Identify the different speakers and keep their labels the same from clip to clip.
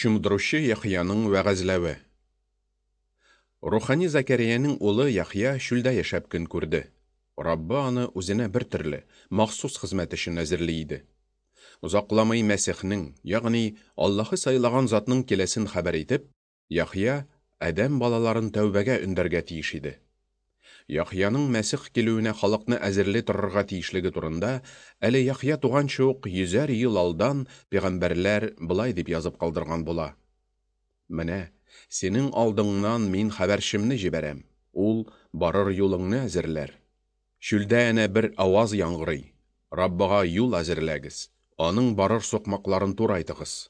Speaker 1: Чумдыручы Яхъяның вәгазьләве. Рухани Зәкәриянең улы Яхъя чүлдә яшәп көн күрде. Раббы аны үзенә бер төрле, махсус хезмәт өчен әзерли иде. Озакламый Мәсихнең, ягъни Аллаһы сайлаган затның киләсен хәбәр итеп, Яхъя адәм балаларын тәүбәгә өндәргә тиеш иде. Яхъяның Мәсих килүенә халыкны әзерли торырга тиешлеге турында әле Яхъя туганчы ук йөзәр ел алдан пәйгамбәрләр болай дип язып калдырган була: Менә, синең алдыңнан мин хәбәрчемне җибәрәм, ул барыр юлыңны әзерләр. Чүлдә әнә бер аваз яңгырый: Раббыга юл әзерләгез, аның барыр сукмакларын турайтыгыз.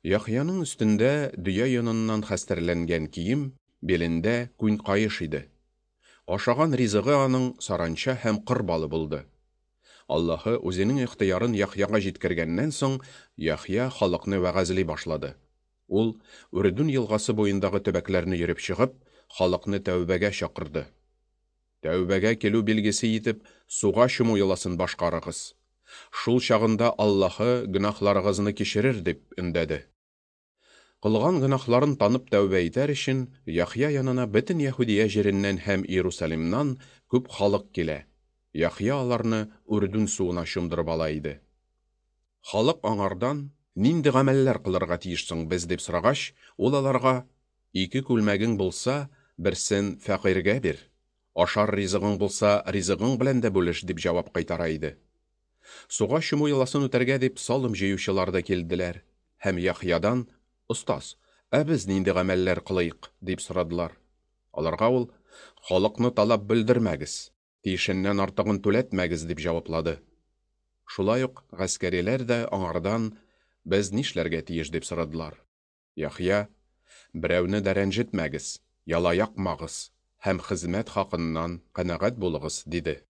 Speaker 1: Яхъяның өстендә дөя йоныннан хәстәрләнгән кием, билендә күн каеш иде. Ашаган ризыгы аның саранча һәм кыр балы булды. Аллаһы үзенең ихтыярын Яхъяга җиткергәннән соң, Яхъя халыкны вәгазьли башлады. Ул, Үрдүн елгасы буендагы төбәкләрне йөреп чыгып, халыкны тәүбәгә чакырды. Тәүбәгә килү билгесе итеп, суга чуму йоласын башкарыгыз. Шул чагында Аллаһы гөнаһларыгызны кичерер, дип өндәде. Кылган гөнаһларын танып тәүбә итәр өчен, Яхъя янына бөтен Яһүдия җиреннән һәм Иерусалимнан күп халык килә. Яхъя аларны Үрдүн суына чумдырып ала иде. Халык аңардан, Нинди гамәлләр кылырга тиеш соң без, дип сорагач, ул аларга, Ике күлмәгең булса, берсен фәкыйрьгә бир. Ашар ризыгың булса, ризыгың белән дә бүлеш, дип җавап кайтара иде. Суга чуму йоласын үтәргә дип салым җыючылар да килделәр һәм Яхъядан, Остаз, ә без нинди гамәлләр кылыйк? дип сорадылар. Аларга ул, Халыкны талап бөлдермәгез, тиешеннән артыгын түләтмәгез, дип җаваплады. Шулай ук гаскәриләр дә аңардан, Без нишләргә тиеш? дип сорадылар. Яхъя, Берәүне дә рәнҗетмәгез, яла якмагыз һәм хезмәт хакыннан канәгать булыгыз, диде.